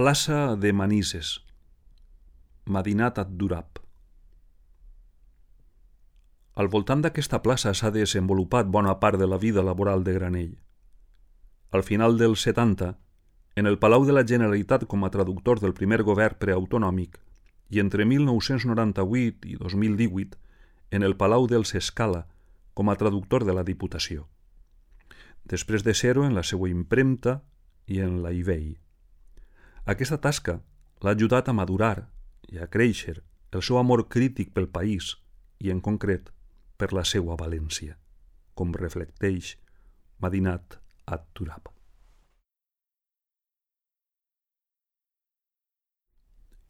Plaça de Manises, Madinat ad-Durab. Al voltant d'aquesta plaça s'ha desenvolupat bona part de la vida laboral de Granell. Al final dels 70, en el Palau de la Generalitat com a traductor del primer govern preautonòmic i entre 1998 i 2018 en el Palau dels Escala com a traductor de la Diputació. Després de ser-ho en la seva impremta i en la IBEI. Aquesta tasca l'ha ajudat a madurar i a créixer el seu amor crític pel país i, en concret, per la seva valència, com reflecteix Madinat ad-Durab.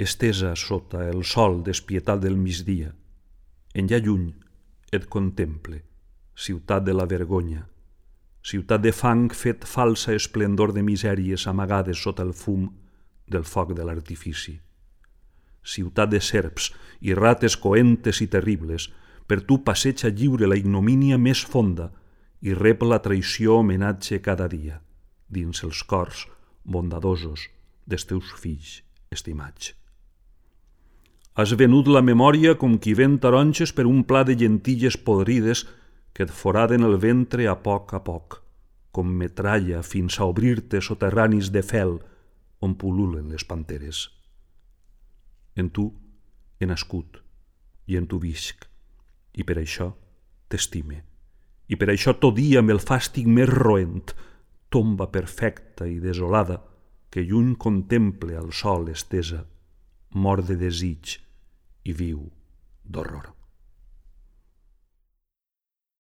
Estesa sota el sol despietat del migdia, enllà lluny et contemple, ciutat de la vergonya, ciutat de fang fet falsa esplendor de misèries amagades sota el fum del foc de l'artifici. Ciutat de serps i rates coentes i terribles, per tu passeja lliure la ignomínia més fonda i rep la traïció homenatge cada dia, dins els cors bondadosos dels teus fills estimats. Has venut la memòria com qui ven taronges per un pla de llentilles podrides que et foraden el ventre a poc, com metralla fins a obrir-te soterranis de fel on pul·lulen les panteres. En tu he nascut i en tu visc, i per això t'estime, i per això tot dia amb el fàstic més roent, tomba perfecta i desolada que lluny contemple al sol estesa, mor de desig i viu d'horror.